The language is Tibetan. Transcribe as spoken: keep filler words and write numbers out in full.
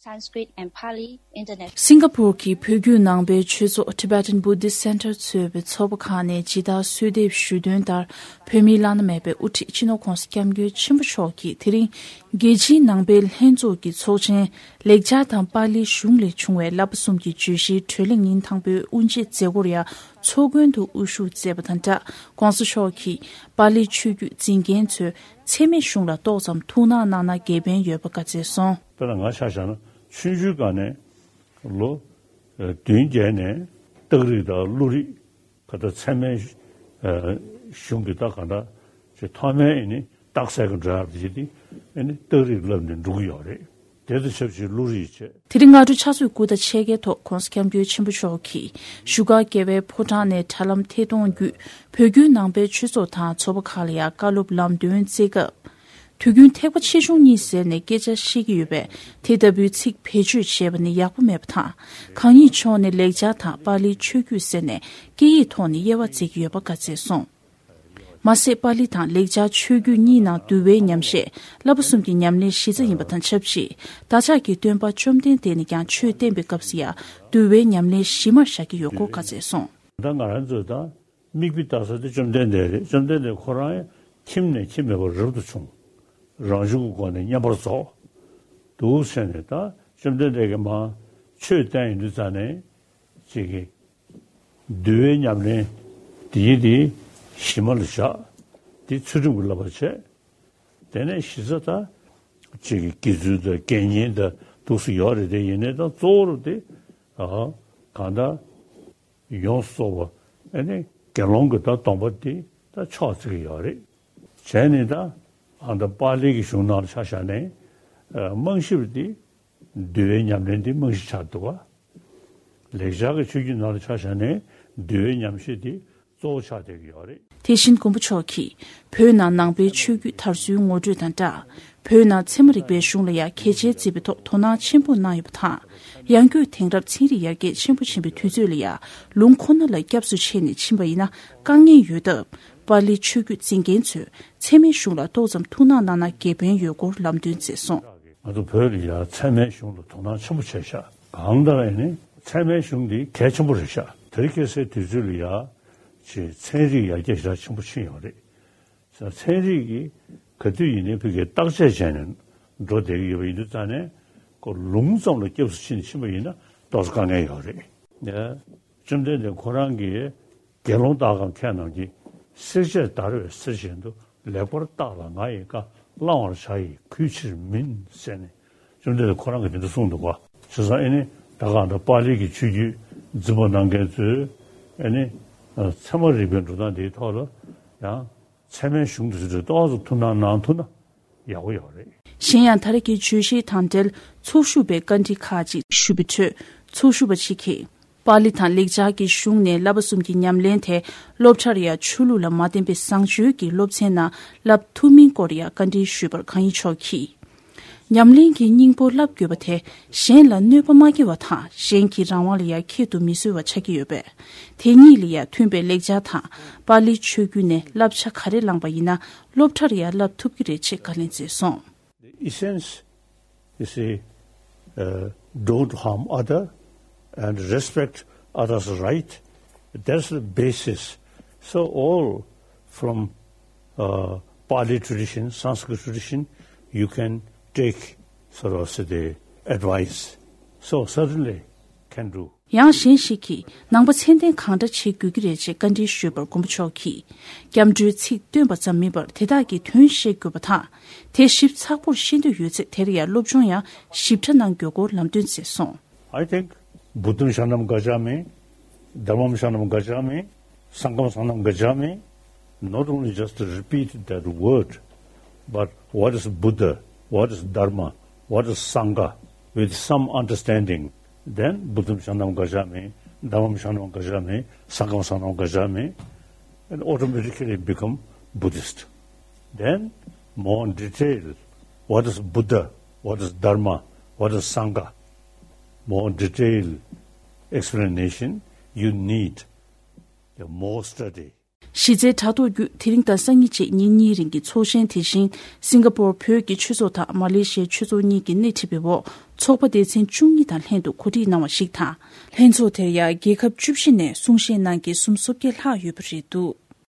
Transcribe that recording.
Sanskrit and Pali International. སིང་ག་པུར་གྱི་བོད་བརྒྱུད་ནང་པའི་ཆོས་ཚོགས་Tibetan Buddhist Center གཙོས་པའི་ཚོགས་པ་ཁག་ནས་ཇི་ལྟར་གསོལ་འདེབས་ཞུས་དོན་ལྟར། བོད་མིའི་བླ་ན་མེད་པའི་དབུ་ཁྲིད་སྤྱི་ནོར་༸གོང་ས་༸སྐྱབས་མགོན་ཆེན་པོ་མཆོག་གིས་དེ་རིང་རྒྱལ་སྤྱིའི་ནང་པའི་ལྷན་ཚོགས་ཀྱི་ཚོགས་ཆེན། ལེགས་སྦྱར་དང་པཱ་ལིའི་གཞུང་ལས་བྱུང་བའི་བསླབ་པ་གསུམ་གྱི་བརྗོད་གཞིའི་གྲོས་གླེང་ཉིན་དང་པོའི་དབུ་འབྱེད་མཛད་སྒོར་ཡང་ཚོགས་མགོན་དུ་དབུ་བཞུགས་མཛད་པ་དང་སྦྲགས། ༸གོང་ས་མཆོག་གིས་པཱ་ལིའི་ཆོས་བརྒྱུད་འཛིན་མཁན་ཚོས་ཚད་མའི་གཞུང་ལ་ཏོག་ཙམ་ཐུགས་སྣང་གནང་ན་དགེ་ཕན་ཡོད་པ་བཀའ་སྩལ་སོང་། དཔེར་ན་ང་ཆ་བཞག་ན་ཆུང་ཆུང་སྒང་ནས་ལོ་ཨ་བདུན་བརྒྱད་ནས་སྟག་རིག་དང་ཀླུ་རིག་ག་ད་ཚད་མའི་ཨ་གཞུང་གི་ད་ག་ད་ཅིག་ཐོག་མའི་ཨ་ནི་རྟགས་གསལ་གྱི་འགྲོ་ཡག་དེ་དེ་ཨ་ནི་སྟག་རིག་བསླབ་ནས་འགྲོ་གི་ཡོད་རེད། དེ་དང་ཆབས་ཅིག་ཀླུ་རིག་བྱས། དེ་རིང་སྔ་དྲོ་ཕྱག་ཚོད་དགུ་དང་ཕྱེད་ཀའི་ཐོག་༸གོང་ས་༸སྐྱབས་མགོན་ཆེན་པོ་མཆོག་གིས་བཞུགས་སྒར་རྒྱལ་བའི་ཕོ་བྲང་ནས་དྲ་ལམ་ཐད་གཏོང་བརྒྱུད་བོད་བརྒྱུད་ནང་པའི་ཆོས་ཚོགས་དང་ཚོགས་པ་ཁག་ལ་ཡང་བཀའ་སློབ་ལམ་སྟོན་སྩལ་སྐབས། དུས་རྒྱུན་ཐེག་པ་ཆེ་ཆུང་གཉིས་ཟེར་ནས་སྐད་ཆ་བཤད་ཀྱི་ཡོད་པས། དེ་ལྟ་བུའི་ཚིག་བེད་སྤྱོད་བྱས་པ་ནི་ཡག་པོ་མེད་པ་དང་། གང་ཉིད་མཆོག་ནས་ལེགས་སྦྱར་དང་པཱ་ལིའི་ཆོས་བརྒྱུད་ཟེར་ནས་སྐད་ཡིག་ཐོག་ནས་དབྱེ་བ་འབྱེད་ཀྱི་ཡོད་པ་བཀའ་སྩལ་སོང་། མ་ཟད་པཱ་ལི་དང་ལེགས་སྦྱར་ཆོས་བརྒྱུད་གཉིས་ནང་འདུལ་བའི་ཉམས་བཞེས་བསླབ་པ་གསུམ་གྱི་ཉམས་ལེན་གཞི་རྩ་ཡིན་པ་དང་ཆབས་ཅིག་བདག་ཅག་གི་སྟོན་པ་བཅོམ་ལྡན་འདས་ནས་ཀྱང་ཆོས་བསྟན་པའི་སྐབས་སུ་ཡང་འདུལ་བའི་ཉམས་ལེན་གཞི་མར་བཞག་གི་ཡོད་སྐོར་བཀའ་སྩལ་སོང་། ད་ང་རང་ཚོས་ད་མིག་དཔེ་ལྟ་ས་དེ་བཅོམ་ལྡན་འདས་རེད། བཅོམ་ལྡན་འདས་ཁོ་རང་ཡང་ཁྱིམ་ནས་ཁྱིམ་མེད་པར་རབ་ཏུ་བྱུང་། རང་བྱུང་གི་སྒོ་ནས་བསྙེན་པར་རྫོགས། འདུག་ཟེར་ནས་ད་བཅོམ་ལྡན་འདས་ཀྱིས་མར་ཆོས་བསྟན་ཡོང་དུས་ཙ་ནས་ཅིག་གི་འདུལ་བའི་ཉམས་ལེན་དེ་ཡིན་དེ་གཞི་མ་ལ་བཞག་དེ་ཚུལ་ཁྲིམས་ཀྱི་བསླབ་པ་བྱས། དེ་ནས་གཞི་རྩ་ད་ཅིག་གི་དགེ་ཚུལ་དང་དགེ་བསྙེན་དང་འདུག་སེ་ཡོད་རེད། དེ་ཡིན་ནའི་ད་གཙོ་བོ་རུ་དེ་ཨ་གང་ལྟར་ཡོངས་སུ་རྫོགས་པ་ཨ་ནི་དགེ་སློང་གི་ད་སྡོམ་པ་དེ་ད་ཕྱོགས་བརྩི་གི་ཡོད་རེད། བྱས་ནས་ད་ཨ་ད་པཱ་ལི་གི་གཞུང་ནང་ལ་ཆ་བཞག་ནས་ཨ་རྨང་གཞི་དེ་འདུལ་བའི་ཉམས་ལེན་དེ་རྨང་གཞི་ཆགས་འདུག་ག་ལེགས་སྦྱར་གྱི་ཆོས་བརྒྱུད་ནང་ལ་ཆ་བཞག་ནས་འདུལ་བའི་ཉམས་བཞེས་དེ་གཙོ་བོ་ཆགས་བསྡད་ཀྱི་ཡོད་རེད། དེ་བཞིན་མགོན་པོ་མཆོག་གིས་བོད་ནང་ནང་པའི་ཆོས་བརྒྱུད་དར་སྲོལ་ངོ་སྤྲོད་དང་སྦྲགས། བོད་ནང་ཚད་མ་རིག་པའི་གཞུང་ལ་ཡང་གལ་ཆེའི་བརྩི་བའི་ཐོག་དོ་སྣང་ཆེན་པོ་གནང་ཡོད་པ་དང་། ཡང་སྒོས་དེང་རབས་ཚན་རིག་ཡར་རྒྱས་ཆེན་པོ་ཕྱིན་པའི་དུས་ཚོད་ལ་ཡང་ལུང་ཁོ་ན་ལ་སྐྱབས་སུ་མཆི་ནས་ཕྱིན་པ་ཡིན་ན་དཀའ་ངལ་ཡོད་སྟབས། པཱ་ལིའི་ཆོས་བརྒྱུད་འཛིན་མཁན་ཚོས་ཚད་མའི་གཞུང་ལ་ཏོག་ཙམ་ཐུགས་སྣང་གནང་ན་དགེ་ཕན་ཡོད་སྐོར་ལམ་སྟོན་མཛད་སོང་། ང་ཚོ་བོད་ལ་ཡང་ཚད་མའི་གཞུང་ལ་དོ་སྣང་ཆེན་པོ་བྱས་ཤག་གང་ལྟར་ཡིན་ནའི་ཚད་མའི་གཞུང་འདི་གལ་ཆེན་པོ་རེད་ཤག་དེ་རིང་ཁ་སང་དུས་ཚོད་ལ་ཡང་ཅིག་ཚན་རིག་ཡར་རྒྱས་ཞེ་དྲག་ཆེན་པོ་ཕྱིན་ཡོད་རེད། ཚན་རིག་གིས་ག་དུས་ཡིན་ནའི་ཕ་གིའི་བརྟག་དཔྱད་བྱས་ནས་འགྲོ་བསྡད་ཀྱི་ཡོད་པ་ཡིན་དུས་ཙང་ནས་ཁོ་ལུང་ཙམ་ལ་སྐྱབས་སུ་ཕྱིན་ཕྱིན་པ་ཡིན་ན་ཏོག་ཙམ་དཀའ་ངལ་ཡོད་རེད། ཡ། བཅོམ་ལྡན་འདས་ཁོ་རང་གིས་དགེ་སློང་དག་གམ་མཁས་རྣམས་ཀྱིས། བསྲེག་བཅད་བརྡར་བའི་གསེར་བཞིན་དུ། ལེགས་པར་བརྟགས་ལ་ང་ཡི་བཀའ། བླང་བར་བྱ་ཡི་གུས་ཕྱིར་མིན། ཟེར་ནས་བཅོམ་ལྡན་འདས་ཁོ་རང་གིས་དེ་འདྲ་གསུངས་འདུག་ག་བྱས་ཙང་ཨེ་ནི་ད་ག་ད་པཱ་ལི་གི་ཆོས་བརྒྱུད་འཛིན་པ་གནང་མཁན་ཚོས་ཨེ་ནི་ཚད་མ་རིག་པའི་འགྲོ་སྟངས་དེའི་ཐོག་ལ་ཡང་ཚད་མའི་གཞུང་དེ་ཚོ་ཏོག་ཙམ་ཐུགས་སྣང་གནང་ཐུབ་ན་ཡག་པོ་ཡོད་རེད། གཞན་ཡང་ད་རེས་ཀྱི་བརྗོད་གཞི་དང་འབྲེལ་ཚོགས་ཞུགས་པའི་བཀའ་འདྲི་ཁག་ཅིག་ཞུས་པའི་ཁྲོད་ཚོགས་ཞུགས་པ་ཅིག་གིས། པཱ་ལི་དང་ལེགས་སྦྱར་གྱི་གཞུང་ནས་བསླབ་པ་གསུམ་གྱི་ཉམས་ལེན་དེ་སློབ་གྲྭར་ཡང་ཆོས་ལུགས་ལ་མ་བརྟེན་པའི་བཟང་སྤྱོད་ཀྱི་སློབ་ཚན་ནང་བསླབ་ཐུབ་མིན་སྐོར་ཡང་བཀའ་འདྲི་ཞུས་པར་གང་ཡིན་མཆོག་གིས། ཉམས་ལེན་གྱི་སྙིང་པོ་བསླབ་དགོས་པ་དེ་གཞན་ལ་གནོད་པ་མ་སྐྱེལ་བ་དང་གཞན་གྱི་རང་དབང་ལ་ཡང་ཁྱད་དུ་མི་གསོད་པ་ཆགས་ཀྱི་ཡོད་པས། དེ་གཉིས་ལ་ཡང་མཐུན་པའི་ལེགས་སྦྱར་དང་པཱ་ལིའི་ཆོས་བརྒྱུད་ནས་བསླབ་བྱ་ག་རེ་བླངས་པ་ཡིན་ན་སློབ་གྲྭར་ཡང་བསླབ་ཐུབ་ཀྱི་རེད་ཅེས་བཀའ་ལན་སྩལ་སོང་། The essence, you see, uh, don't harm other and respect others' right. That's the basis. So all from uh, Pali tradition, Sanskrit tradition, you can take sort of say the advice. So certainly can do. ཡང་གཞན་ཞིག་གིས་ནང་པ་ཚད་ལྡན་གང་འདྲ་བྱེད་དགོས་ཀྱི་རེད་ཅེས་བཀའ་འདྲི་ཞུས་པར་མགོན་པོ་མཆོག་གིས། སྐྱབས་འགྲོའི་ཚིག་བཏོན་པ་ཙམ་མིན་པར་དེ་དག་གི་དོན་ཤེས་དགོས་པ་དང་། དེ་ཞིབ་ཚགས་པོར་ཤེས་འདོད་ཡོད་ཚེ་དེར་ཡང་སློབ་སྦྱོང་ཡང་ཞིབ་ཕྲ་གནང་དགོས་སྐོར་ལམ་སྟོན་མཛད་སོང་། I think Buddham Sharanam Gacchami, Dhammam Sharanam Gacchami, Sangham Sharanam Gacchami, not only just to repeat that word, but what is Buddha, what is Dharma, what is Sangha, with some understanding, then Buddham Sharanam Gacchami, Dhammam Sharanam Gacchami, Sangham Sharanam Gacchami, and automatically become Buddhist. Then, more detail, what is Buddha, what is Dharma, what is Sangha, more detailed explanation, you need the more study. གཞི་རྩའི་དྲ་ཐོག་བརྒྱུད་དེ་རིང་དང་སང་ཉིན་བཅས་ཉིན་གཉིས་རིང་གི་ཚོགས་ཆེན་དེ་བཞིན་སིང་ག་པོར་བོད་ཀྱི་ཆོས་ཚོགས་དང་མ་ལེ་ཤི་ཡའི་ཆོས་ཚོགས་གཉིས་ཀྱིས་སྣེ་ཁྲིད་པའི་འོག་ཚོགས་པ་སྡེ་ཚན་བཅུ་གཉིས་དང་ལྷན་དུ་གོ་སྒྲིག་གནང་བ་ཞིག་དང་། ལྷན་ཚོགས་དེར་ཡང་རྒྱལ་ཁབ་བཅུ་བཞི་ནས་གསུང་བཤད་གནང་མཁན་སུམ་སོ་བརྒྱད་ལྷག་ཡོད་པ་རེད་འདུག